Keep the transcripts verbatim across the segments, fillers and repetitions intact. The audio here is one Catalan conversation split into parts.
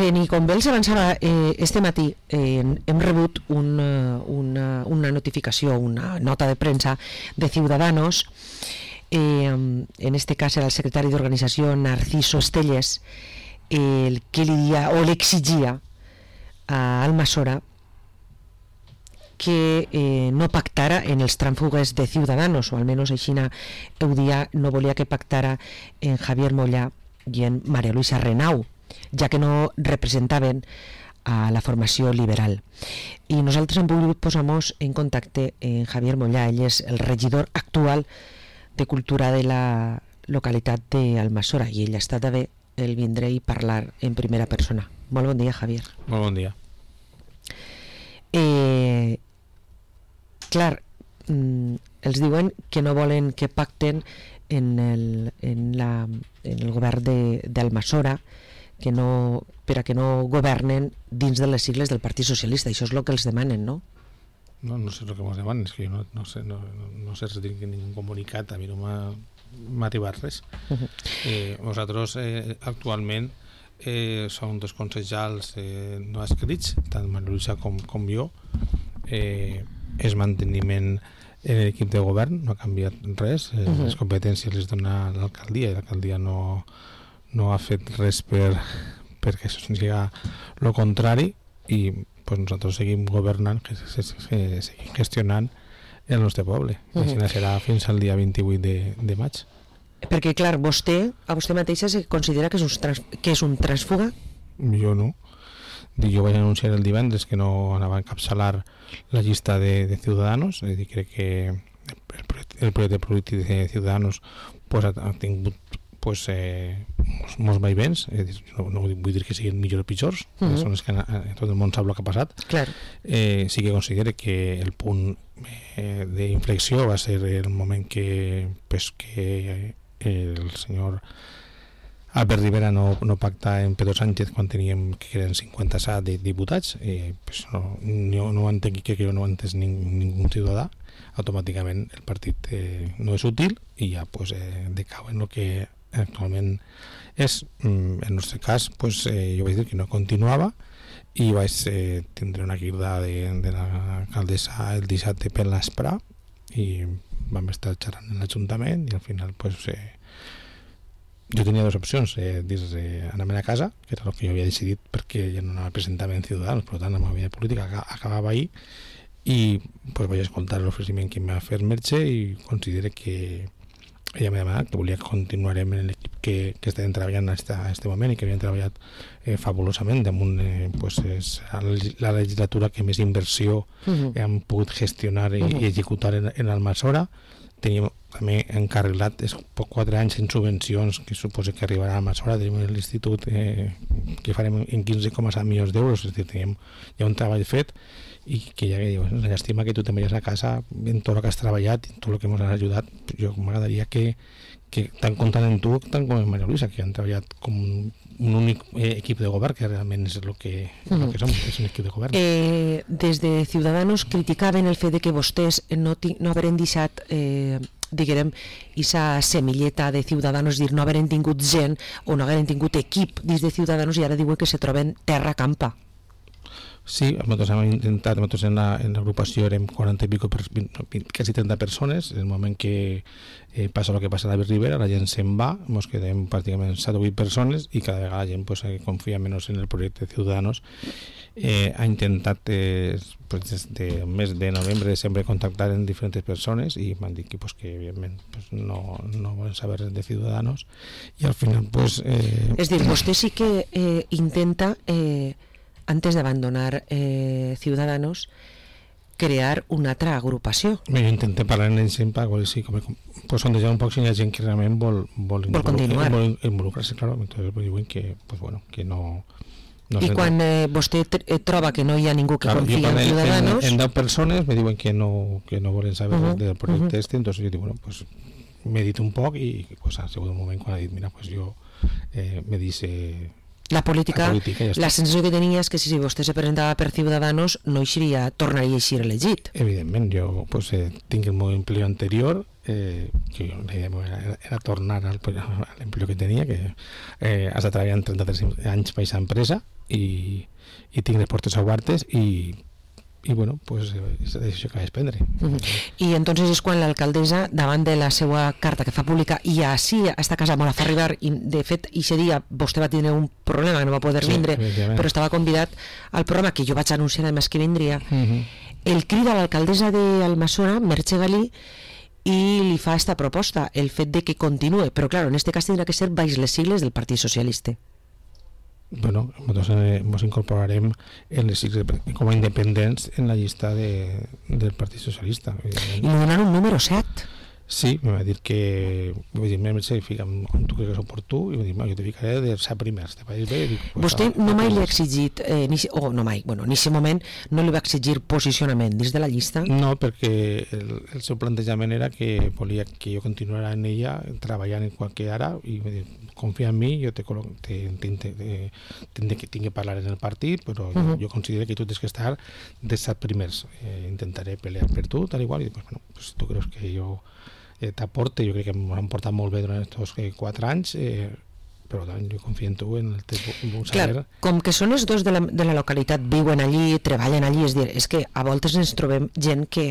Bien, i com bé els avançava eh, este matí, eh, hem rebut una, una, una notificació, una nota de premsa de Ciudadanos. Eh, en este cas era el secretari d'organització Narciso Estelles, el que li dia o l'exigia a Almassora que eh, no pactara en els trànsfugues de Ciudadanos, o almenys així ho dia, no volia que pactara en Javier Mollà i en María Luisa Renau, ja que no representaven a la formació liberal. I nosaltres hem volgut posar-nos en contacte amb Javier Mollà. Ell és el regidor actual de Cultura de la localitat d'Almassora i ell ha estat bé el vindre i parlar en primera persona. Molt bon dia, Javier. Molt bon dia. Eh, clar, mm, els diuen que no volen que pacten en el, en la, en el govern d'Almassora, que no, per a que no governen dins de les sigles del Partit Socialista. Això és el que els demanen, no? No, no sé el que ens demanen, és que jo no, no sé, no, no sé si tinc ningú comunicat, a mi no m'ha arribat res. Uh-huh. eh, nosaltres eh, actualment eh, som dos consellers eh, no escrits, tant María Luisa com, com jo. Eh, és manteniment en l'equip de govern, no ha canviat res. eh, uh-huh. Les competències les dona l'alcaldia i l'alcaldia no no ha fet res per perquè això sigui el contrari i pues, nosaltres seguim governant, que, que, que seguim gestionant el nostre poble. Uh -huh. Així serà fins al dia vint-i-vuit de, de maig. Perquè clar, vostè a vostè mateixa se considera que és un, trans, que és un transfuga? Jo no. Jo vaig anunciar el divendres que no anava a encapçalar la llista de, de Ciudadanos, és a dir, crec que el, el projecte polític de Ciudadanos pues, ha, ha tingut pues, eh, molts, molts vaivents, eh, no, no vull dir que siguin millors o pitjors, uh -huh. són els que en tot el món sap el que ha passat. Clar. Eh, sí que considero que el punt eh, d'inflexió va ser el moment que, pues, que el senyor Albert Rivera no, no pacta amb Pedro Sánchez quan teníem que eren cinquanta-set diputats. Eh, pues no, no, no ho entenc, que no ho ha entès ningú, ningú ciutadà. Automàticament el partit eh, no és útil i ja pues, eh, decau en el que actualment és. En el nostre cas pues, eh, jo vaig dir que no continuava i vaig eh, tindre una crida de, de l'alcaldessa el dissabte per l'Esprà i vam estar xerrant en l'Ajuntament i al final pues, eh, jo tenia dues opcions, eh, dir eh, anar-me'n a casa, que era el que jo havia decidit perquè ja no anava a presentar en Ciudadanos, per tant la meva vida política acabava ahir i pues, vaig escoltar l'oferiment que em va fer Merche i considero que ella m'ha demanat que volia que continuarem en l'equip que, que estem treballant en aquest moment i que havien treballat eh, fabulosament damunt eh, pues, és la legislatura que més inversió uh-huh. hem pogut gestionar i, uh-huh. i executar en, en Almassora. Teníem també encarrilat quatre anys en subvencions que suposa que arribarà a Almassora. Tenim l'institut eh, que farem en quinze coma set milions d'euros, és a dir, tenim ja un treball fet i que ja que dius, la llàstima que tu te'n veies a casa en tot el que has treballat, en tot el que ens has ajudat. Jo m'agradaria que, que tant comptant en tu tant com en María Luisa, que han treballat com un únic eh, equip de govern, que realment és el que, uh-huh. el que som, és un equip de govern. Eh, des de Ciudadanos criticaven el fet de que vostès no, no haveren deixat eh, diguem, aquesta semilleta de Ciudadanos, dir, no haveren tingut gent o no haveren tingut equip dins de Ciudadanos i ara diuen que se troben terra campa. Sí, nosaltres hem intentat, nosaltres en la, en l'agrupació érem quaranta i pico, per, quasi trenta persones. En el moment que eh, passa el que passa a la Ribera, la gent se'n va, ens quedem pràcticament set o vuit persones i cada vegada la gent pues, confia menys en el projecte de Ciudadanos. Eh, ha intentat eh, pues, des del mes de novembre, desembre, contactar amb diferents persones i m'han dit que, pues, que evidentment pues, no, no volen saber res de Ciudadanos i al final pues, eh... és dir, vostè sí que eh, intenta eh, antes de abandonar eh, Ciudadanos, crear una altra agrupació. Jo intenté parlar amb ells sempre, sí, com, pues, sondejar un poc si hi ha gent que realment vol, vol, vol continuar. Vol involucrar-se, claro. Entonces pues, diuen que, pues, bueno, que no... no I quan eh, vostè eh, troba que no hi ha ningú que claro, confia en Ciudadanos... En, en deu persones me diuen que no, que no volen saber uh-huh, del projecte uh-huh. este, entonces jo dic, bueno, pues medito un poc i pues, ha sigut un moment quan ha dit, mira, pues jo eh, me dice... La política, la, política ja la sensació que tenia és que si vostè se presentava per Ciudadanos no eixiria, tornaria a eixir elegit. Evidentment, jo pues, eh, tinc el meu empleo anterior, eh, que la idea era, era tornar al, a l'empleo que tenia, que eh, has de treballar en trenta-tres anys per aquesta empresa, i, i tinc les portes obertes i i bueno, pues és la decisió que vaig prendre. Uh-huh. I entonces és quan l'alcaldessa, davant de la seva carta que fa pública, i així a esta casa me la fa arribar, i de fet ixe dia vostè va tenir un problema que no va poder sí, vindre, però estava convidat al programa que jo vaig anunciar además que vindria, uh-huh. el crida a l'alcaldessa d'Almassora, Merche Galí, i li fa esta proposta, el fet de que continue, però claro, en este cas tindrà que ser baix les sigles del Partit Socialista. Bueno, nosaltres ens incorporarem en les sigles com a independents en la llista de, del Partit Socialista. I li donaran un número set. Sí, me va dir que vull dir, m'he ficat on tu creus que és oportú i dir, jo te ficaré de set primers, te pareix bé? Dic, pues, vostè no mai li ha exigit, eh, ni, oh, no mai, bueno, en aquest moment no li va exigir posicionament dins de la llista? No, perquè el, el seu plantejament era que volia que jo continuara en ella treballant en qualque ara i dir, confia en mi, jo te, te, te, te, te, te que tinc que parlar en el partit, però uh-huh. jo, jo considero que tu tens que estar de set primers. Eh, intentaré pelear per tu, tal igual, i pues, bueno, pues, tu creus que jo eh, t'aporte, jo crec que m'ho han portat molt bé durant aquests eh, quatre anys, eh, però tant, jo confio en tu, en el teu saber. Clar, com que són els dos de la, de la localitat, viuen allí, treballen allí, és dir, és que a voltes ens trobem gent que,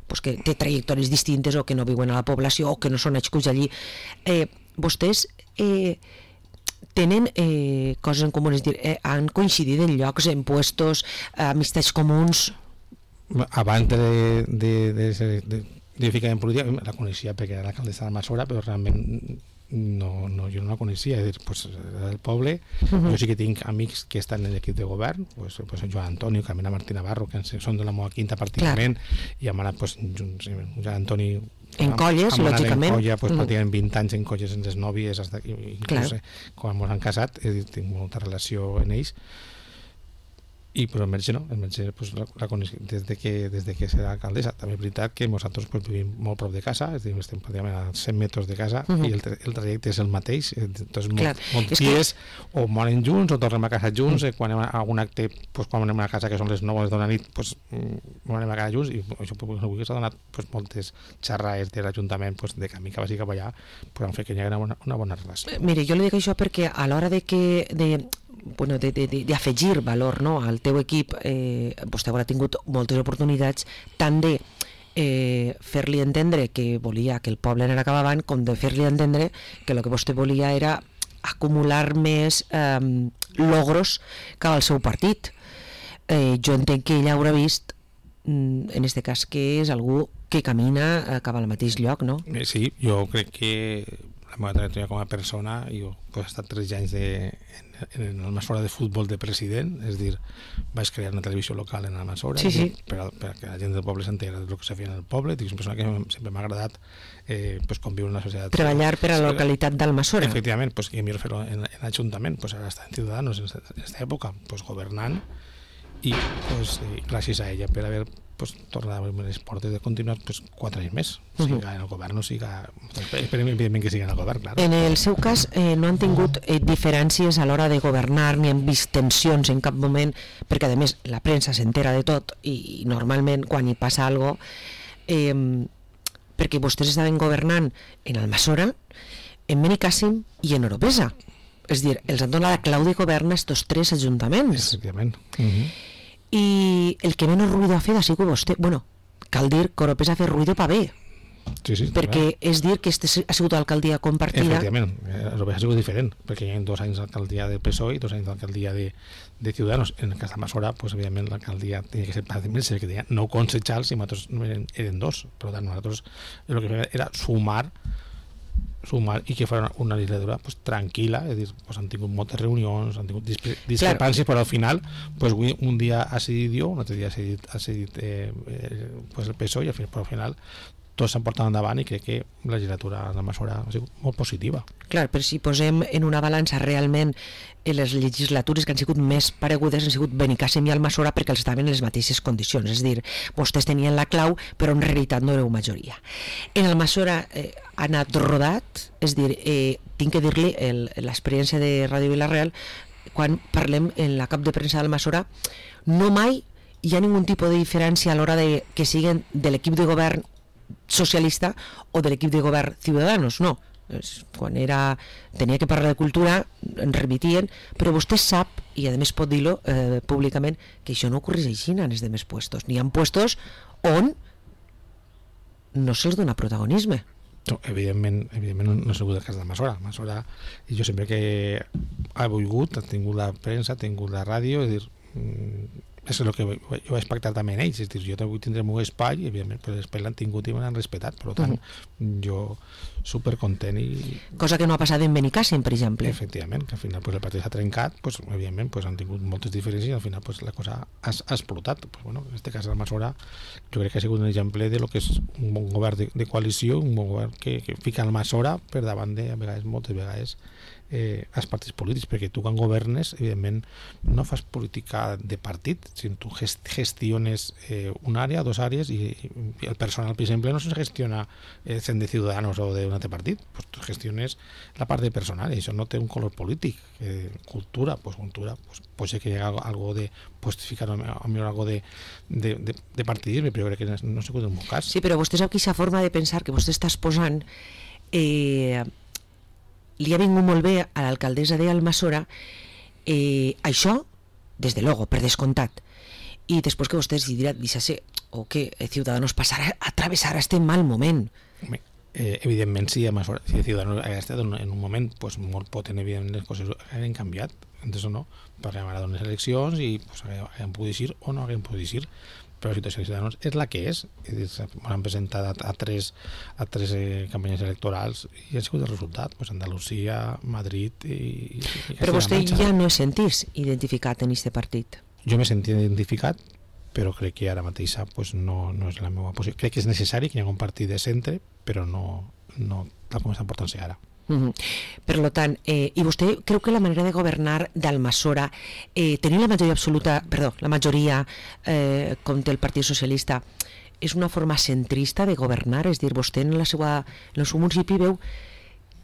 pues, que té trajectòries distintes o que no viuen a la població o que no són nascuts allí. Eh, vostès eh, tenen eh, coses en comú, és dir, eh, han coincidit en llocs, en puestos, eh, amistats comuns? Abans de, de, de, de, de, de ficar en política, la coneixia perquè era l'alcaldessa d'Almassora, però realment no, no, jo no la coneixia, és dir, pues, del poble. Uh-huh. Jo sí que tinc amics que estan en l'equip de govern, pues, pues, Joan Antonio, Carmena Martí Navarro, que són de la meva quinta pràcticament, i hem anat, pues, Joan Antoni en colles, lògicament. En colla, pues, mm. pràcticament vint anys en colles en les nòvies, hasta, inclús eh, quan ens han casat, he dit, tinc molta relació en ells. I però el Merche no, el Merche pues, la, la coneix des de que, des de que serà alcaldessa. També és veritat que nosaltres pues, vivim molt prop de casa, és a dir, estem pràcticament a cent metres de casa, uh-huh. i el, el trajecte és el mateix, entonces molts dies que... o moren junts o tornem a casa junts, uh-huh. eh, quan anem a algun acte, pues, quan anem a casa que són les nou de la nit, pues, anem a casa junts, i això pues, avui s'ha donat pues, moltes xerrades de l'Ajuntament pues, de camí que vagi cap allà, pues, han fet que hi hagi una, una bona relació. Mire, jo li dic això perquè a l'hora de que de bueno, d'afegir valor, no, al teu equip, eh, vostè haurà tingut moltes oportunitats tant de eh, fer-li entendre que volia que el poble anara cap avant, com de fer-li entendre que el que vostè volia era acumular més eh, logros cap al seu partit. Eh, jo entenc que ella haurà vist, en este cas, que és algú que camina cap al mateix lloc, no? Sí, jo crec que la meva trajectòria com a persona, jo pues, he estat tres anys de, en, en Almassora de futbol de president, és dir, vaig crear una televisió local en Almassora, sí, sí. per, perquè la gent del poble s'entera del que se feia en el poble. Dic, és una persona que sempre m'ha agradat eh, pues, conviure en una societat. Treballar per a la localitat d'Almassora. Efectivament, pues, que millor fer-ho en, en l'Ajuntament, pues, ara està en Ciudadanos en aquesta època, pues, governant, i pues, eh, gràcies a ella per haver pues, tornar a obrir les portes de continuar pues, quatre anys més, siga uh-huh. en el govern o siga, esperem evidentment que siga en el govern, clar. En el seu cas eh, no han tingut eh, diferències a l'hora de governar, ni han vist tensions en cap moment, perquè a més la premsa s'entera de tot i, i normalment quan hi passa alguna cosa, eh, perquè vostès estaven governant en Almassora, en Benicàssim i en Oropesa, és dir, els han donat la clau de govern a estos tres ajuntaments. Efectivament. Uh-huh. I el que menys ruïdo ha fet ha sigut vostè. Bueno, cal dir que Oropesa ha fet ruïdo pa bé, sí, sí, perquè clar. És dir que este ha sigut alcaldia compartida. Efectivament, Oropesa ha sigut diferent, perquè hi ha dos anys d'alcaldia del P S O E i dos anys d'alcaldia de, de Ciudadanos. En el cas d'Almassora, pues, evidentment l'alcaldia tenia que ser pràcticament que tenia nou concejals i nosaltres eren, eren dos, per tant nosaltres el que fèiem era sumar sumar i que fos una legislatura pues, tranquil·la, és dir, pues, han tingut moltes reunions, han tingut discrepàncies, claro. Però al final pues, un dia ha cedit jo, un altre dia ha cedit, ha cedit eh, eh, pues, el P S O E i al final, però al final tots s'han portat endavant i crec que la legislatura d'Almassora ha sigut molt positiva. Clar, però si posem en una balança realment les legislatures que han sigut més paregudes han sigut Benicàssim i Almassora perquè els estaven en les mateixes condicions, és a dir, vostès tenien la clau però en realitat no éreu majoria. En Almassora eh, ha anat rodat, és a dir, eh, tinc que dir-li l'experiència de Ràdio Vila-real, quan parlem en la cap de premsa d'Almassora, no mai hi ha ningun tipus de diferència a l'hora de que siguin de l'equip de govern socialista o de l'equip de govern Ciudadanos, no. quan era, tenia que parlar de cultura en remitien, però vostè sap, i a més pot dir-lo eh, públicament, que això no ocorreix així en els demés puestos. N'hi ha puestos on no se'ls dona protagonisme. No, evidentment, evidentment no ha sigut el cas d'Almassora. Almassora, i jo sempre que ha volgut, ha tingut la premsa, ha tingut la ràdio, és dir, és el que jo vaig pactar també en ells, és dir, jo vull tindre el meu espai i evidentment pues, l'espai l'han tingut i me l'han respetat, per tant uh-huh. jo supercontent i... Cosa que no ha passat en Benicàssim, per exemple. Efectivament, que al final pues, el partit s'ha trencat, pues, evidentment pues, han tingut moltes diferències i al final pues, la cosa ha, ha explotat. Pues, bueno, en aquest cas Almassora jo crec que ha sigut un exemple de lo que és un bon govern de, de coalició, un bon govern que, que fica Almassora per davant de, a vegades, moltes vegades, eh, els partits polítics, perquè tu quan governes evidentment no fas política de partit, sinó tu gest gestiones eh, una àrea, dos àrees i, i el personal, per exemple, no se gestiona eh, cent de Ciudadanos o d'un altre partit, pues tu gestiones la part de personal i això no té un color polític. eh, cultura, pues cultura pues, pot ser que hi hagi algo, algo de pues, ficar a millor algo de, de, de, de partidisme, però jo crec que no, no ha sigut el meu cas. Sí, però vostè sap que aquesta forma de pensar que vostè està exposant eh, li ha vingut molt bé a l'alcaldessa d'Almassora eh, això, des de logo, per descomptat, i després que vostè decidirà deixar-se o que Ciudadanos passarà a travessar este mal moment. Eh, evidentment si Almassora, si Ciudadanos ha estat en un moment pues, molt potent, evidentment les coses han canviat, entonces no, parlem ara d'unes eleccions i pues, haguem pogut dir o no haguem pogut dir, però la situació de Ciudadanos és la que és, m'han presentat a, a tres, a tres eh, campanyes electorals i ha sigut el resultat, pues, Andalusia, Madrid i... i però vostè ja no es sentís identificat en aquest partit? Jo m'he sentit identificat, però crec que ara mateixa pues, no, no és la meva posició. Crec que és necessari que hi hagi un partit de centre, però no, no tal com està portant-se ara. Uh-huh. Per tant, eh, i vostè creu que la manera de governar d'Almassora, eh, tenir la majoria absoluta, perdó, la majoria eh, com té el Partit Socialista, és una forma centrista de governar? És dir, vostè en, la seva, en el seu municipi veu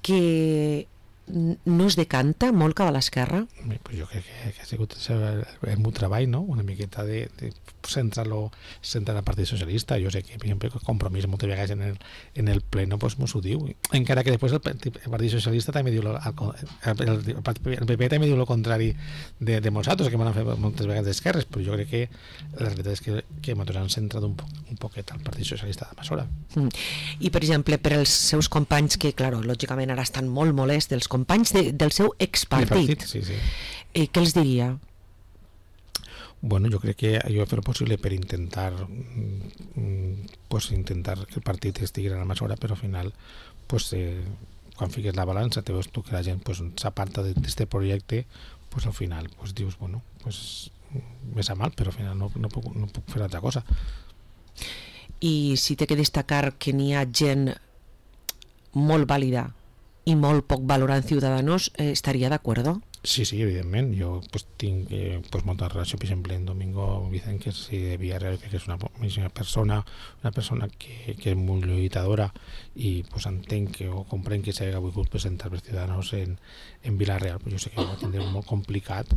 que no es decanta molt cap a l'esquerra? Pues jo crec que, que ha sigut el, el meu treball, no? Una miqueta de, de centrar-lo centrar el Partit Socialista. Jo sé que, per exemple, el Compromís moltes vegades en el, en el pleno pues, m'ho diu, encara que després el, el Partit Socialista també diu el, el, el, el P P també diu el contrari de, de nosaltres, que m'han fet moltes vegades d'esquerres, però jo crec que la veritat és que, que nosaltres han centrat un, po, un poquet al Partit Socialista d'Almassora. Mm. I, per exemple, per als seus companys, que, claro, lògicament ara estan molt molests, dels companys de, del seu expartit, sí, sí. Eh, què els diria? Bueno, jo crec que jo he fet el possible per intentar mm, pues, intentar que el partit estigui a Almassora, però al final pues, eh, quan fiques la balança te veus tu que la gent pues, s'aparta d'aquest projecte, pues, al final pues, dius, bueno, pues, me sap mal, però al final no, no, puc, no puc fer altra cosa. I si té que destacar que n'hi ha gent molt vàlida i molt poc valorant Ciudadanos, eh, estaria d'acord? Sí, sí, evidentment. Jo pues, tinc eh, pues, molta relació, per exemple, en Domingo Vicent, que és de Villarreal, que és una, una persona una persona que, que és molt lluitadora i pues, entenc que, o comprenc que s'ha volgut presentar per Ciudadanos en, en Villarreal. Jo sé que ho va tindre molt complicat,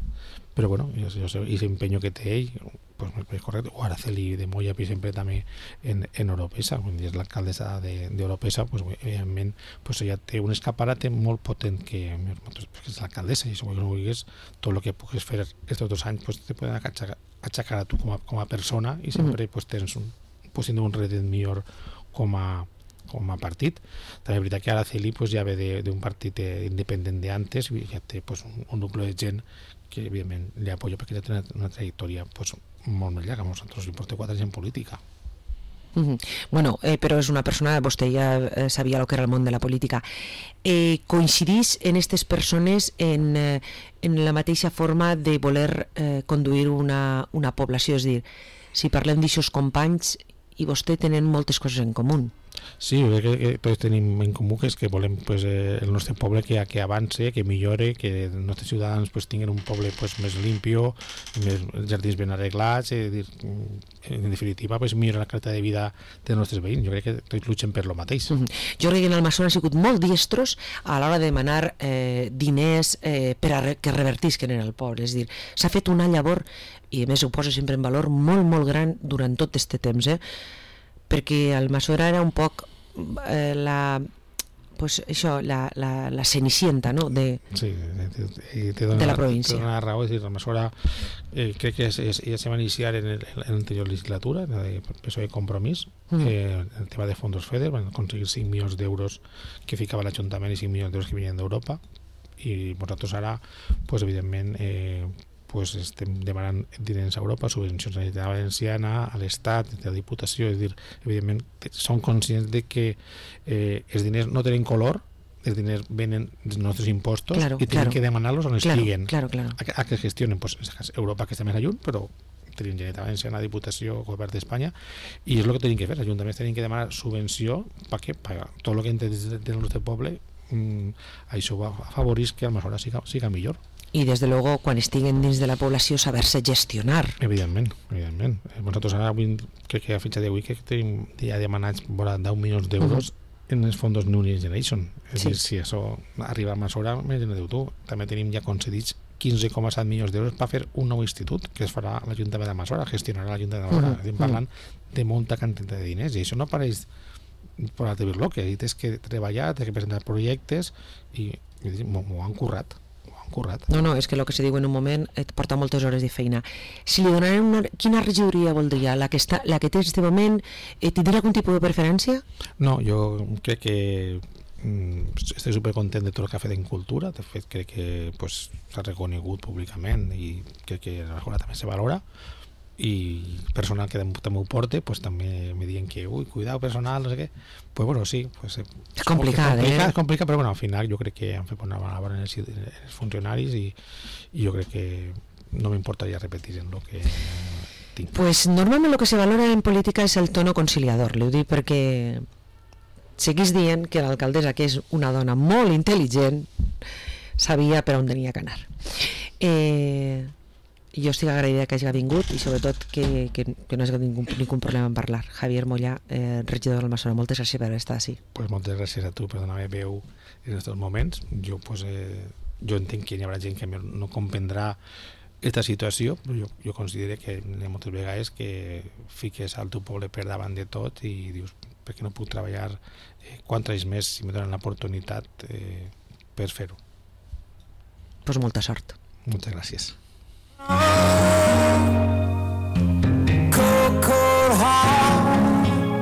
però bueno, jo, jo sé, i l'empenyo que té ell pues, és correcte. O Araceli de Moya, per exemple, també en, en Oropesa, quan és l'alcaldessa d'Oropesa, pues, evidentment pues, ella té un escaparate molt potent que, que és l'alcaldessa, i això que no vulguis, tot el que puguis fer aquests dos anys pues, te poden achacar, achacar a tu com a, com a persona i sempre mm. pues, tens un, pues, un redet millor com a, com a partit. També és veritat que Araceli pues, ja ve d'un partit independent d'antes i ja té pues, un, un nucli de gent que evidentment li apoyo perquè té una, una trajectòria pues, molt més llarga. Nosaltres li portem quatre anys en política. Mm-hmm. Bueno, eh, però és una persona, vostè ja eh, sabia el que era el món de la política. Eh, coincidís en aquestes persones en, eh, en la mateixa forma de voler eh, conduir una, una població? És dir, si parlem d'aixòs companys i vostè tenen moltes coses en comú. Sí, jo crec que, que tots tenim en comú que és que volem pues, eh, el nostre poble que, que avance, que millore, que els nostres ciutadans pues, tinguin un poble pues, més limpio, més jardins ben arreglats, eh, dir, en definitiva pues, millorar la qualitat de vida dels nostres veïns. Jo crec que tots luchen per lo mateix. Mm-hmm. Jo crec que en Almassora han sigut molt diestros a l'hora de demanar eh, diners eh, per a re que revertisquen en el poble. És dir, s'ha fet una llavor, i a més ho posa sempre en valor, molt, molt gran durant tot aquest temps, eh? Perquè Almassora era un poc eh, la pues això, la, la, la cenicienta, no?, de, sí, de, de, dona, de la província. Té una raó, és a dir, la mesura eh, crec que es, es, ja se va iniciar en, el, en l'anterior legislatura, en el P S O E Compromís, mm. eh, el tema de fondos FEDER, van aconseguir cinc milions d'euros que ficava l'Ajuntament i cinc milions d'euros que venien d'Europa, i nosaltres ara, pues, evidentment, eh, pues estem demanant diners a Europa, subvencions a la Generalitat Valenciana, a l'Estat, a la Diputació, és a dir, evidentment, són conscients de que eh, els diners no tenen color, els diners venen dels nostres impostos, claro, i tenen claro. que demanar-los on claro, estiguen, claro, claro. A, a que gestionen, pues, Europa, que està més lluny, però tenim Generalitat Valenciana, Diputació, Govern d'Espanya, i és el que tenim que fer, els ajuntaments tenen que demanar subvenció perquè tot el que entra del nostre poble, mm, això va afavorir que aleshores siga, siga millor. I des de luego quan estiguen dins de la població saber-se gestionar. Evidentment, evidentment. Nosaltres ara avui, crec que a fitxa d'avui que tenim ja demanats vora deu milions d'euros uh-huh. en els fondos New Next Generation. És sí. dir, si això arriba a mesura, més en diu tu. També tenim ja concedits quinze coma set milions d'euros per fer un nou institut que es farà a l'Ajuntament de Masora, gestionarà l'Ajuntament de Masora. Uh-huh. Estem parlant de molta quantitat de diners i això no apareix per a dir-lo, que és que treballar, té que presentar projectes i, i m'ho han currat. currat. No, no, és que el que se diu en un moment et porta moltes hores de feina. Si li donarem una... Quina regidoria voldria? La que, està, la que té en aquest moment, eh, tindrà algun tipus de preferència? No, jo crec que mm, estic supercontent de tot el que ha fet en cultura. De fet, crec que pues, s'ha reconegut públicament i crec que a la també se valora. I personal que també ho porte, pues, també me diuen que, ui, cuidado personal, no sé què. Pues bueno, sí. Pues, és complicat, eh? És complicat, però bueno, al final jo crec que han fet una bona labor en els, els funcionaris i, i jo crec que no m'importaria repetir en el que tinc. Pues normalment el que se valora en política és el tono conciliador. Li ho dic perquè seguís dient que l'alcaldessa, que és una dona molt intel·ligent, sabia per on tenia que anar. Eh... Jo estic agraïda que hagi vingut i sobretot que, que, que no hagi ningú, ningú problema en parlar. Javier Mollà, eh, regidor del Masora, moltes gràcies per estar així. Pues moltes gràcies a tu per donar-me veu en aquests moments. Jo, pues, eh, jo entenc que hi haurà gent que no comprendrà aquesta situació, però jo, jo considero que moltes vegades que fiques al teu poble per davant de tot i dius, per què no puc treballar eh, quants anys més si me donen l'oportunitat eh, per fer-ho. Pues molta sort. Moltes gràcies.